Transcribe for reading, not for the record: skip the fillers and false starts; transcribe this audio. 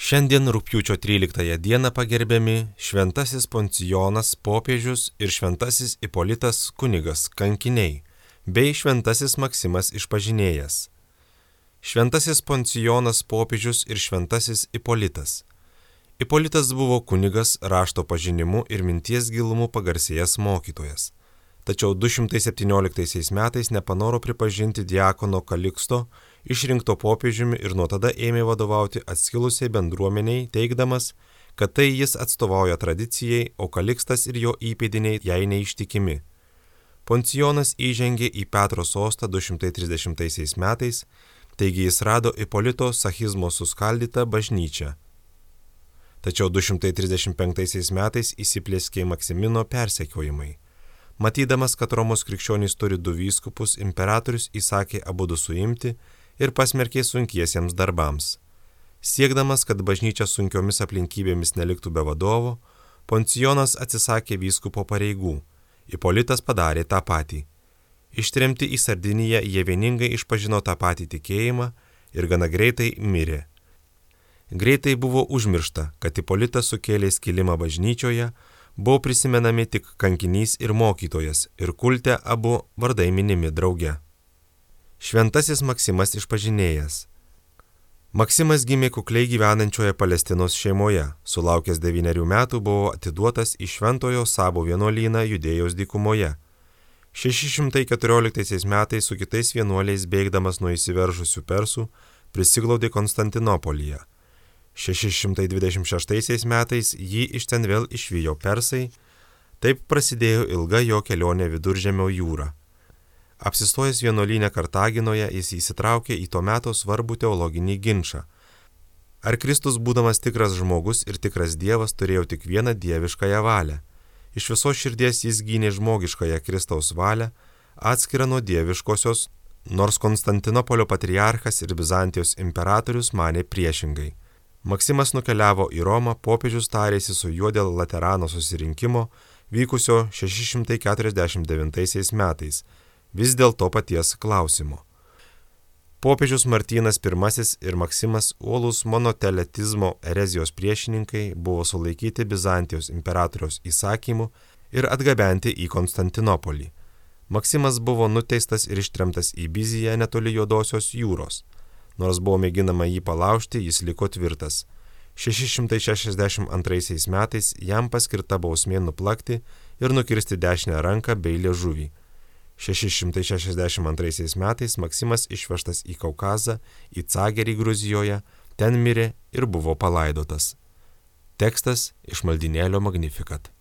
Šiandien rugpjūčio 13 dieną pagerbiami šventasis Poncijonas popiežius ir šventasis Ipolitas kunigas kankiniai, bei šventasis Maksimas išpažinėjas. Šventasis Poncijonas popiežius ir šventasis Ipolitas. Ipolitas buvo kunigas, rašto pažinimu ir minties gilumu pagarsėjęs mokytojas. Tačiau 217 metais nepanoro pripažinti diakono Kaliksto, išrinkto popiežiumi ir nuo tada ėmė vadovauti atskilusiai bendruomeniai, teigdamas, kad tai jis atstovauja tradicijai, o Kalikstas ir jo įpėdiniai jai neištikimi. Poncijonas įžengė į Petro sostą 230 metais, taigi jis rado Ipolito schizmo suskaldytą bažnyčią. Tačiau 235 metais įsiplieskė Maksimino persekiojimai. Matydamas, kad Romos krikščionys turi du vyskupus, imperatorius įsakė abudu suimti ir pasmerkė sunkiesiems darbams. Siekdamas, kad bažnyčia sunkiomis aplinkybėmis neliktų be vadovo, Poncijonas atsisakė vyskupo pareigų. Ipolitas padarė tą patį. Ištremti į Sardiniją jie vieningai išpažino tą patį tikėjimą ir gana greitai mirė. Greitai buvo užmiršta, kad Ipolitas sukėlė skilimą bažnyčioje, buvo prisimenami tik kankinys ir mokytojas ir kulte abu vardai minimi drauge. Šventasis Maksimas išpažinėjas. Maksimas gimė kukliai gyvenančioje Palestinos šeimoje, sulaukęs 9 metų buvo atiduotas į Šventojo Sabo vienuolyną Judėjos dykumoje. 614 metais su kitais vienuoliais bėgdamas nuo įsiveržusių persų prisiglaudė Konstantinopolyje. 626 metais jį iš ten vėl išvijo persai, taip prasidėjo ilga jo kelionė Viduržemio jūra. Apsistojęs vienuolyne Kartaginoje jis įsitraukė į to meto svarbų teologinį ginčą. Ar Kristus, būdamas tikras žmogus ir tikras Dievas, turėjo tik vieną dieviškąją valią? Iš visos širdies jis gynė žmogiškąją Kristaus valią, atskirą nuo dieviškosios, nors Konstantinopolio patriarchas ir Bizantijos imperatorius manė priešingai. Maksimas nukeliavo į Romą, popiežius tarėsi su juo dėl Laterano susirinkimo, vykusio 649 metais, vis dėl to paties klausimo. Popiežius Martynas I ir Maksimas, uolūs monoteletizmo erezijos priešininkai, buvo sulaikyti Bizantijos imperatoriaus įsakymu ir atgabenti į Konstantinopolį. Maksimas buvo nuteistas ir ištremtas į Biziją netoli Juodosios jūros. Nors buvo mėginama jį palaužti, jis liko tvirtas. 662 metais jam paskirta bausmė nuplakti ir nukirsti dešinę ranką bei liežuvį. 662 metais Maksimas išvežtas į Kaukazą, į Cagerį Gruzijoje, ten mirė ir buvo palaidotas. Tekstas iš maldynėlio Magnificat.